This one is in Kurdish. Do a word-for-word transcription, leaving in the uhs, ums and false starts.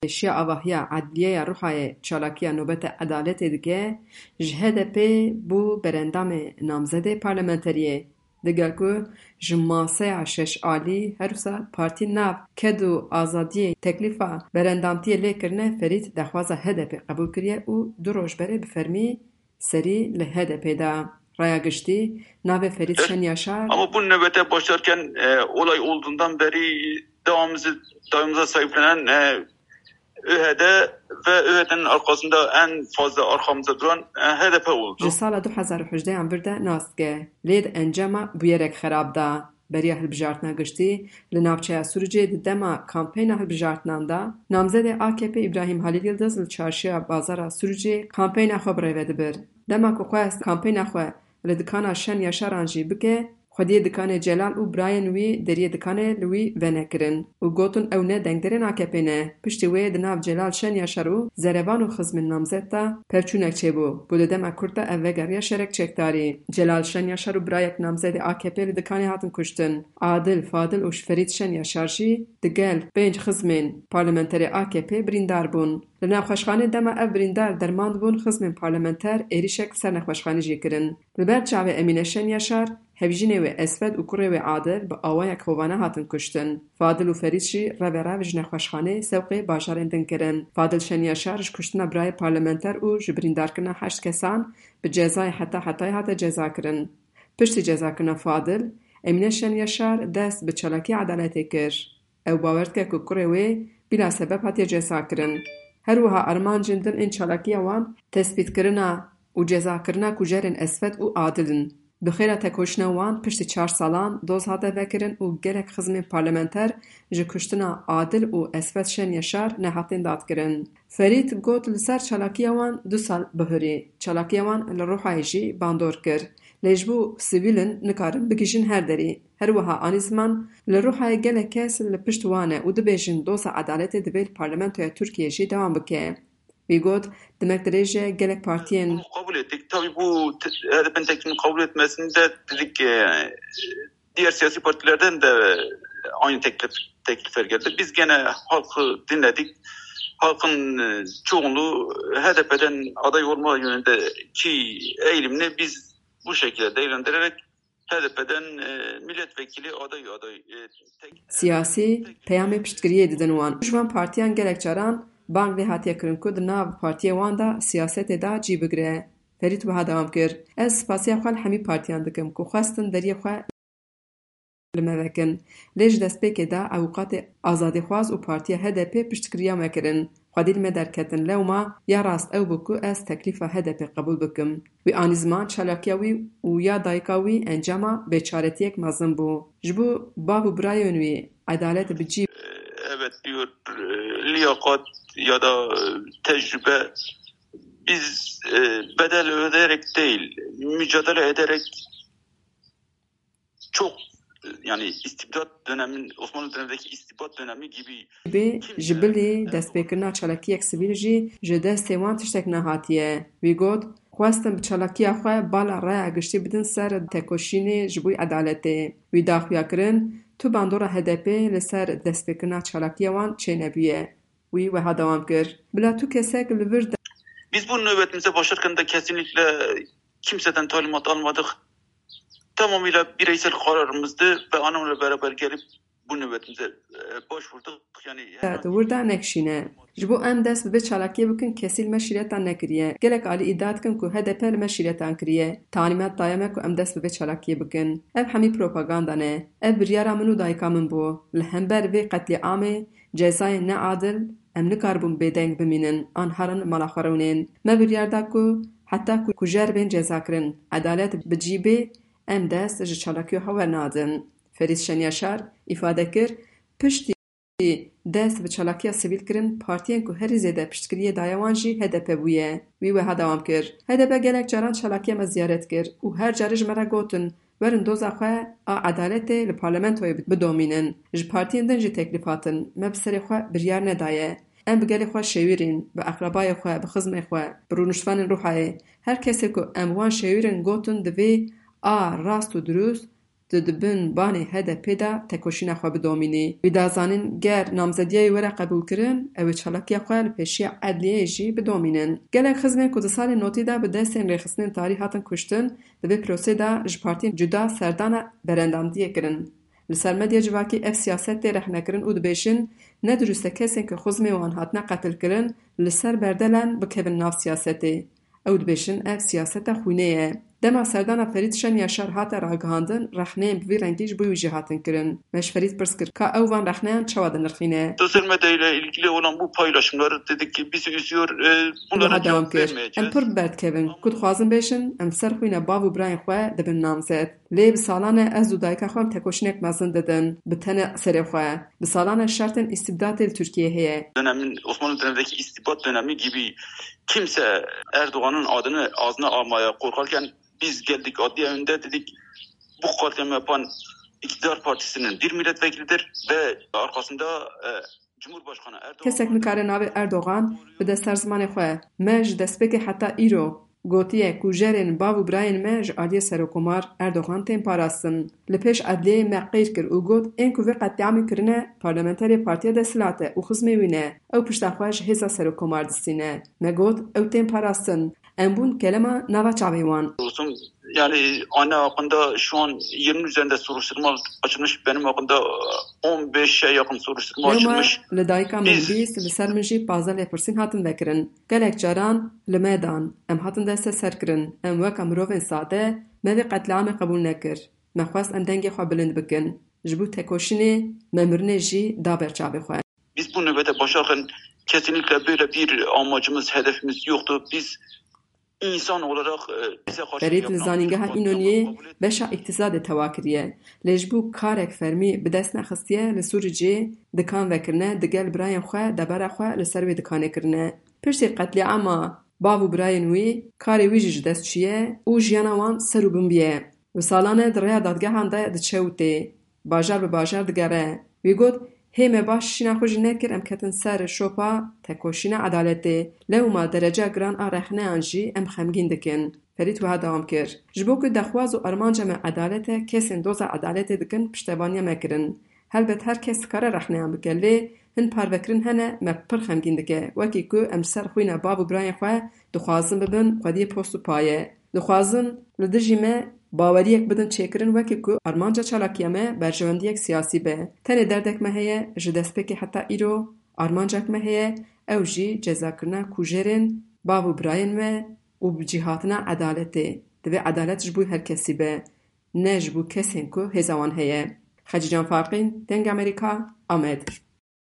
pêşiya avahiya Edliyeya Ruhayê çalakiya Nobeta Edaletê dike, ji H D P bû berendamê namzedê parlamenteriyê. Digel ku ji maseya şeş alî her wisa partî nav ked û azadiyê teklîfa berendamtiyê lê kirine, Ferît daxwaza H D P qebûl kiriye û du roj berê bi fermî serî li H D P de. Raya giştî navê Ferît Şen Yaşar. Ama bu nöbete başlarken, e, olay olduğundan beri davamızı, davamıza sahiplenen, e, ÖHD ve ÖHD'nin arkasında en fazla arkamızda duran, e, H D P oldu. Ji sala du hezar û hejdehan vir de nas dike, lê di encama bûyerek xerab da. Beriya hilbijartina giştî li navçeya Sûricê di dema kampeyna hilbijartinan de, namzedê A K P Îbrahîm Halîl Yildiz li çarşiya bazara Sûricê kampeyna xwe bi rê ve dibir. Dema ku xwest kampeyna xwe li dikana Şen Yaşaran jî bike, xwediyê dikanê Celal û birayên wî deriyê dikanê li wî venekirin û gotin ew ne dengderên A K P ne. Piştî wê di nav Celal Şen Yaşar û zerevan û xizmên namzet de pevçûnek çêbû ku di dema kurt de ev vegeriya şerek çekdarî. Celal Şen Yaşar û birayek namzedê A K P li dikanê hatin kuştin. Adil, Fadil û Ferît Şen Yaşar jî digel pênc xizmên parlamenterê A K P birîndar bûn. Li nexweşxanê dema ev birîndar derman dibûn, xizmên parlamenter êrîşek li ser nexweşxanê jî kirin. Li ber çavê Emîne Şen Yaşar, hevjînê wê Esfed û kurê wê Adil bi awayek hovane hatin kuştin. Fadil û Ferît jî reverev ji nexweşxanê sewqê bajarên din kirin. Fadil Şen Yaşar ji kuştina birayê parlamenter û ji birîndarkirina heşt kesan bi cezayê heta hetayê hate cezakirin. Piştî cezakirina Fadil, Emîne Şen Yaşar dest bi çalakiya edaletê kir. Ew bawer dike ku kurê wê bila sebeb hatiye cezakirin. Her wiha armancên din ên çalakiya wan tespîtkirina û cezakirina kujerên Esfed û Adil in. Bi xêra tekoşîna wan piştî çar salan doz hate vekirin û gelek xizmên parlamenter ji kuştina Adil û Esfed Şen Yaşar nehatin dadkirin. Ferît got li ser çalakiya wan du sal bihurî. Çalakiya wan li Ruhayê jî bandor kir. Lê ji bo sivîl in, nikarin bigihîjin her derî. Her wiha anî ziman, li Ruhayê gelek kes li pişt wan e û dibêjin doza edaletê divê li Parlamentoya Tirkiyê jî dewam bike. Wî got, demek dirêj e gelek partiyên. Bunu kabul ettik. Tabii bu te-, H D P'nin teklifini kabul etmesinde dedik, e, diğer siyasi partilerden de aynı teklif, teklifler geldi. Biz gene halkı dinledik. Halkın, e, çoğunluğu H D P'den aday olma yönündeki eğilimini biz bu şekilde değerlendirerek H D P'den, e, milletvekili aday, aday, e, tek, Siyasî tek peyamê piştgiriyê didin wan. Ji van partiyan gelek caran bang lê hatiye kirin ku di nav partiyê wan de siyasetê de cî bigire. Ferît wiha dewam kir, Ez spasiya xwe li hemî partiyan dikim ku xwestin deriyê xwe li me vekin. Lê ji destpêkê de ewqatê azadîxwaz û partiya H D P piştgiriya me kirin. Xwedî li me derketin. Lewma ya rast ew bû ku ez teklîfa H D P qebûl bikim. Wî anî ziman çalakiya wî û ya dayika wî encama bêçaretiyek mezin bû. Ji bo bav û birayên wî edalet bi cî. Evet diyor, e, liyakat ya da, e, tecrübe biz, e, bedel ödeyerek değil, mücadele ederek çok, e, yani istibdat dönemin, Osmanlı dönemindeki istibdat dönemi gibi bê ji bilî destpêkirina çalakiyek sivîl jî ji destê wan tiştek nehatiye. Wî got, Xwestin bi çalakiya xwe bala raya giştî bidin ser tekoşînê ji bo edaletê. Wî da xuya kirin, tu bandora H D P li ser destpêkirina çalakiya wan çênebûye. Wî wiha dewam kir, Bila tu kesek li vir de. Biz bu nöbetimize başlarken de kesinlikle kimseden talimat almadık. Tamamıyla bireysel kararımızdı ve anamla beraber gelip bu nöbetimize, e, başvurduk. Yani hemen. Di wir de nekişîne. Ji bo em dest bi vê çalakiyê bikin, kesî li me şîreta nekiriye. Gelek alî îdia dikin ku H D P li me şîretan kiriye. Talimat daye me ku em dest bi vê çalakiyê bikin. Ev hemî propaganda ne. Ev biryara min û dayika min bû. Li hember vê qetlîamê, cezayên neadil, em nikaribûn bêdeng bimînin an herin mala xwe rewînin. Me biryar da ku heta ku kujer bên cezakirin, edalet bi cî bê, em dest ji çalakiya xwe wernadin. Ferîd Şenyaşar îfade kir, Piştî dest bi çalakiya sivîl kirin, partiyên ku herî zêde piştgiriyê daye wan jî H D P bûye. Wî wiha dewam kir, H D P gelek caran çalakiya me ziyaret kir û her carê ji me re gotin, Werin doza xwe a edaletê li parlamentoyê bidomînin. Ji partiyên din jî teklîf hatin. Me bi serê xwe biryar nedaye. Em bi gelê xwe şêwirîn, bi eqrebayê xwe, bi xizmê xwe, bi rûniştvanên Ruhayê. Her kesê ku em wan şêwirîn gotin divê a rast û dirûst tu di bin banê H D P de tekoşîna xwe bidomînî. Wî da zanîn, ger namzediyê were qebûlkirin, ew ê çalakiya xwe li pêşiya edliyeyê jî bidomînin. Gelek xizmên ku di salên notî de bi destên rêxistinên tarî hatin kuştin, di vê prosê de ji partiyên cuda serdana berendamdiyê kirin. Li ser medya civakî ev siyaset tê rexnekirin û dibêjin, ne dirust e kesên ku xizmê wan hatine qetilkirin, li ser berdelan bikevin nav siyasetê. Ew dibêjin, ev siyaseta xwînê ye. Dema serdana Ferîd Şen Yaşar hate ragihandin, rexneyên bi vî rengî ji bo wî jî hatin kirin. Me ji Ferîd pirs kir, ka ew van rexneyan çawa dinirxîne? Sosyal medya ile ilgili olan bu paylaşımları dedik ki bizi üzüyor. E, bunların Wiha dewam cevap kir, vermeyeceğiz. Em pir bi ber dikevin. Ku dixwazin bêjin, em ser xwîna bav û birayên xwe dibin namzet. Lê bi salan e ez û dayika xwe em tekoşînek mezin didin, bi tenê serê xwe. Bi salan e şertên îstibdatê li Tirkiyeyê heye. Dönemin, Osmanlı dönemindeki istibat dönemi gibi kimse Erdoğan'ın adını ağzına almaya korkarken biz geldik adliye önünde dedik, bu katliamı yapan iktidar partisinin bir milletvekilidir ve arkasında e, Cumhurbaşkanı Erdoğan Kesek nikare navê Erdogan bide ser zimanê xwe. Me ji destpêkê heta îro gotiye ku kujerên bav û birayên me ji aliyê Serokomar Erdogan tên parastin. Li pêş edliyeyê me qeyr kir û got, ên ku vê qetlîamê kirine parlamenterê partiya desthilat e û xizmê wî ne. Ew pişta xwe ji hêza Serokomar distîne. Me got, ew tên parastin. Em bûn kelema nava çavê wan. Olsun, yani anne hakkında şu an yirmi üzerinde soruşturma açılmış. Benim hakkında on beşe yakın soruşturma Lewma açılmış. Li dayika min Biz bîst, li ser min jî pazdeh lêpirsîn hatin vekirin. Gelek caran li me dan. Em hatin desteserkirin. Em weke mirovên sade me vê qetlîamê qebûl nekir. Me xwest em dengê xwe bilind bikin. Ji bo tekoşînê me mirinê jî da ber çavê xwe. Biz bu nöbete başlarken kesinlikle böyle bir amacımız, hedefimiz yoktu. Biz insan olarak e, bize karşı Ferîd li yapılan zanîngeha bir katliamı Înoniyê kabul etmiyoruz. Beşa îktîsadê tewa kiriye. Lê ji bo karek fermî bi dest nexistiye, li Sûricê dikan vekirine, digel birayên xwe debera xwe li ser wê dikanê kirine. Piştî qetlîama bav û birayên wî, karê wî jî ji dest çûye û jiyana wan ser û bin bûye. Bi salan e di rêya dadgehan de diçe û tê. Bajar bi bajar digere. Wî got, hê me baş şîna xwe jî nekir, em ketin ser şopa tekoşîna edaletê. Lewma derece giran a rexneyan jî em xemgîn dikin. Ferîd wiha dewam kir, ji bo ku dexwaz û armanca me edalet e, kesên doza edaletê dikin piştevaniya me kirin. Helbet her kes dikare rexneyan bike, lê hin parvekirin hene me pir xemgîn dike, wekî ku em ser xwîna bav û birayên xwe dixwazin bibin xwediyê post û paye. Dixwazin li dijî me baweriyek bidin çêkirin, wekî ku armanca çalakiya me berjewendiyek siyasî be. Tenê derdek me heye, ji destpêkê heta îro armancek me heye, ew jî cezakirina kujerên bav û birayên me û bi cî hatina edaletê. Divê edalet ji bo her kesî be, ne ji bo kesên ku hêza wan heye. Xecîcan Farqîn, Dengê Amerîka, Amed.